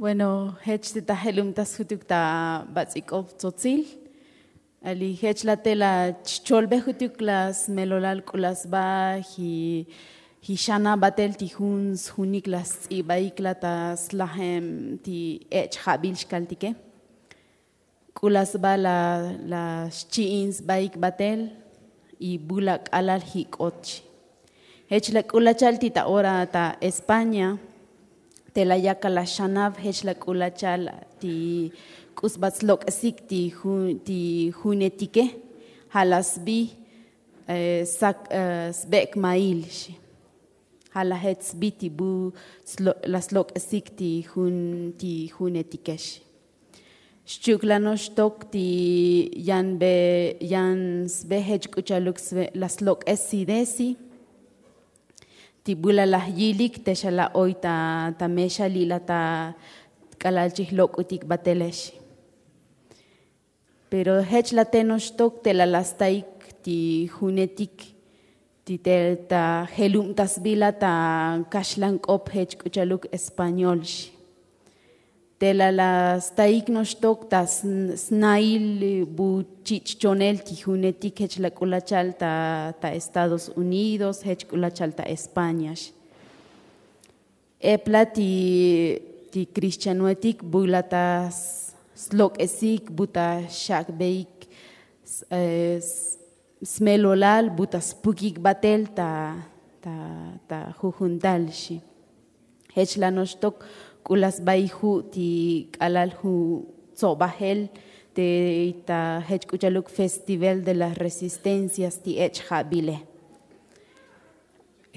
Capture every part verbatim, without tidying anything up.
Bueno, jech te ta jelubtas jutuk ta bats'ik'ob tzotzil. Ali jech la te la chcholbe jutuk la smelolal k'u la sba ji xana batel ti jun sjunik la sts'ibaik la ta slajem ti ech' jabil xkaltike. K'u la sba la xchi'in sbaik batel y bu la k'alal jik'ot xi. Jech la k'u la chal ti ta ora ta españa. Te la yakal la xanab jech la k'u la chal ti k'u sba tslok'esik ti junetike. Ja' la sbi sak sbek' mail xi. Ja' la jech sbi ti bu la slok'esik ti junetike xi. Xchi'uk la noxtok ti yan be yan sbe jech k'u chaluk la slok'es sidesi. Ti bu la laj yilik te xa la oy ta mexa li' la ta k'alal chi jlok'utik batele xi. Pero jech la te noxtok te la la staik ti junetik ti te ta jelubtasbila ta kaxlank'op jech k'u chaluk español xi. Te la la staik noxtok ta snail bu chich' chonel ti junetik jech la k'u la chal ta estados unidos jech k'u la chal ta españa xi. Epla ti kristianoetik bu la ta slok'esik bu ta xak'beik smelolal bu ta spukik batel ta ta jujuntal xi. Jech la noxtok k'u la sbaij ju' ti k'alal ju' tsobajel te ta jech k'u chaluk festival de las resistencias ti ech' jabile.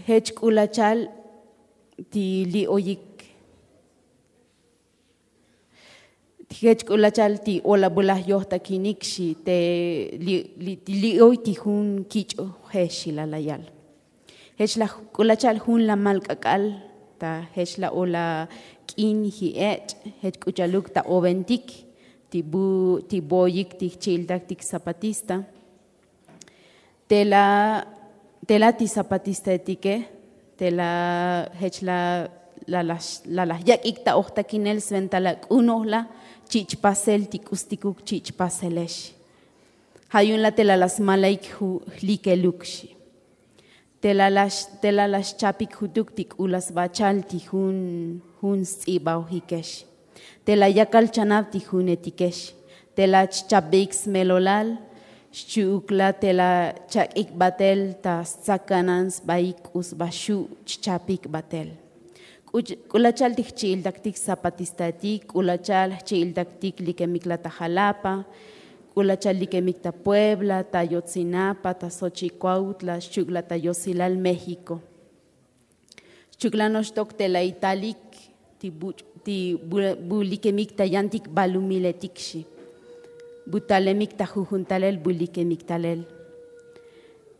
Jech k'u la chal ti li' oyik jech k'u la chal ti ola bu laj yojtakinik xi te li' oy ti jun kich' je xi la la yal. Jech la k'u la chal jun la mal k'ak'al ta jech la ola k'in ji ech' jech k'u chaluk ta obentik ti bu ti bu oyik ti jchi'iltaktik zapatista. Te la te la ti zapatistaetike te la jech la la laj yak'ik ta ojtakinel sventa la k'u noj la chich' pasel ti k'ustikuk chich' pasele xi. Ja' yu'un la te la la smalaik jlikeluk xi. Te la la xchapik jutuk ti k'u la sba chal ti jun jun sts'ibaojike xi. Te la yakal chanab ti junetike xi. Te la chchapbeik smelolal xchi'uk la te la chak'ik batel ta stsakanan sbaik k'u sba xu' chchapik batel. K'u la chal ti jchi'iltaktik zapatistaetik k'u la chal jchi'iltaktik likemik la ta jalapa k'u la chal likemik ta puebla ta yotzinapa ta xochikuautla xchi'uk la ta yosilal méxiko. Xchi'uk la noxtok te la italik ti bu likemik ta yantik balumiletik xi. Bu talemik ta jujun talel bu likemik talel.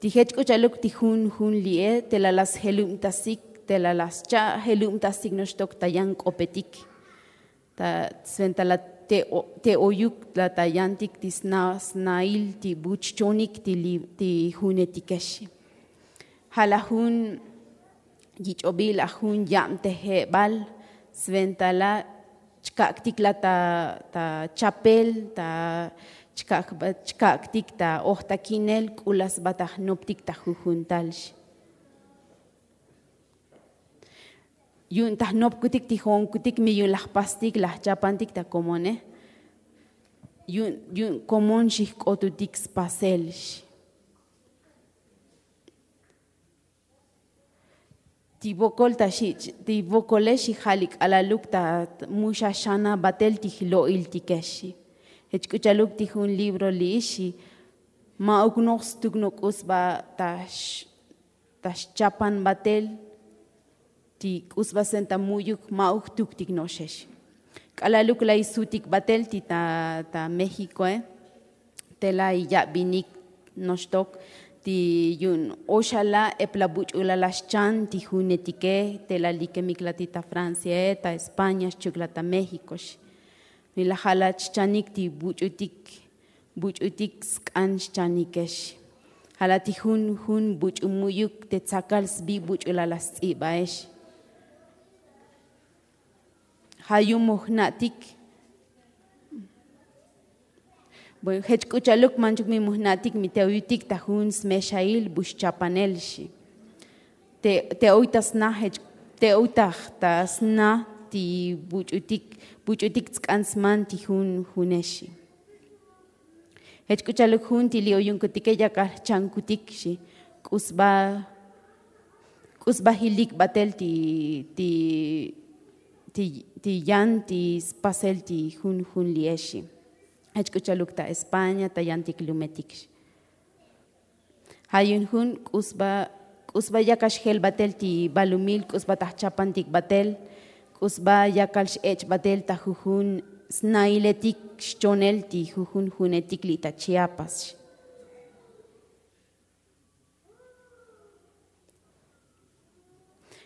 Ti jech k'u cha'aluk ti jun jun li'e te la la sjelubtasik te la la scha' jelubtasik noxtok ta yan k'opetik. Ta sventa la te oyuk la ta yantik ti snail ti bu chchonik ti junetike xi. Ja' la jun yich'obil la jun yabtejebal sventa la chkak'tik la ta chapel ta chkak'tik ta ojtakinel k'u la sba ta jnoptik ta jujuntal xi. Yu'un ta jnopkutik ti jo'onkutik mi yu'un la jpastik la jchapantik ta komone. Yu'un komon xi jk'otutik spasel xi. Ti vokol ta xi' ti vokole xi ja' li k'alaluk ta mu xa xana batel ti jlo'iltike xi. Jech k'u cha'aluk ti jun libro li'i xi. Ma'uk noj stuk noj k'u sba ta xchapan batel ti k'u sba sventa mu'yuk ma'uk jtuktik no'oxe xi. K'alaluk lay sutik batel ti ta méxikoe. Te lay yabinik noxtok ti yu'un oxala' epla buch'ulala' xchan ti junetike te la likemik la ti ta franciae ta españa xchi'uk la ta méxiko xi. Mi la ja' la chchanik ti buch'utik buch'utik sk'an xchanike xi. Ja' la ti jun jun buch'u mu'yuk te tsakal sbi buch'ulala' sts'ibae xi. Ja' yu'un mujna'tik. Bueno, jech k'u cha'luk manchuk mi mujna'tik mi te oyutik ta jun smexail bu xchapanel xi. Te oy ta sna jech te oy ta sna ti buch'utik buch'utik tsk'an sman ti jun junexi. Jech k'u cha'luk jun ti li' oyunkutike yakal jchankutik xi. K'u sba k'u sba jilik batel ti ti ti yan ti spasel ti jun jun li'exi. Jech k'u cha'luk ta españa ta yantik lumetik xi. Ja' yu'un jun k'u sba k'u sba yakal xjel batel ti balumil k'u sba ta jchapantik batel k'u sba yakal x'ech' batel ta jujun snailetik xchonel ti jujun junetik li' ta chiapas xi.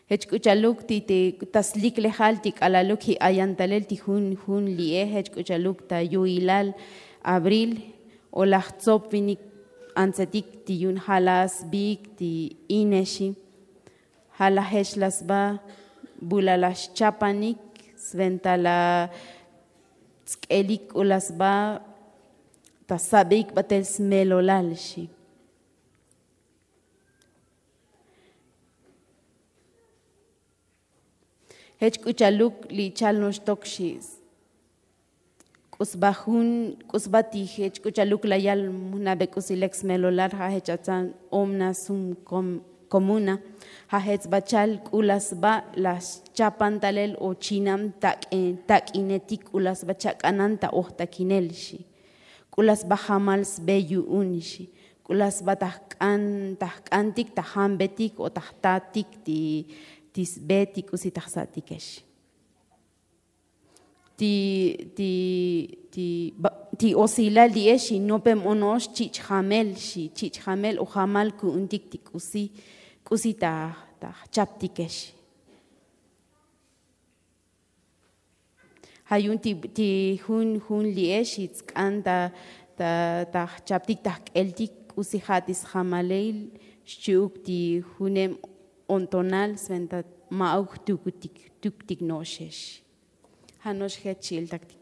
Jech k'u cha'luk ti ta sliklejal ti k'alaluk ji' ayan talel ti jun jun li'e jech k'u cha'luk ta yu'ilal abril o laj tsop vinik antsetik ti yu'un ja' laj sbiik ti inexi. Ja' laj jech laj sba bu laj laj xchapanik sventa laj tsk'elik k'u laj sba ta sabeik batel smelolal xi. Jech k'u cha'luk li chal noxtok xi. K'u sba jun k'u sba ti jech k'u cha'luk la yal mujnabe k'usi lek smelolal ja' jech atzan omna sum komuna. Ja' jech sba chal k'u la sba la xchapan talel o chinam tak'inetik k'u la sba chak'anan ta ojtakinel xi. K'u la sba jamal sbe yu'un xi. K'u la sba ta jk'an ta jk'antik ta jambetik o ta jtatik ti sbe ti k'usi ta jsa'tikex. Ti ti ti osilal li'ex xi nopem ono'ox chich' jamel xi chich' jamel o jamal ku'untik ti k'usi k'usi ta jchaptikex. Ja' yu'un ti jun jun li'ex xi tsk'an ta ta jchaptik ta jk'eltik k'usi ja' ti sjamalil xchi'uk ti junem o'ntonal sventa ma'uk jtuktik jtuktik no'oxex. Ja' no'ox jech chi'iltaktik.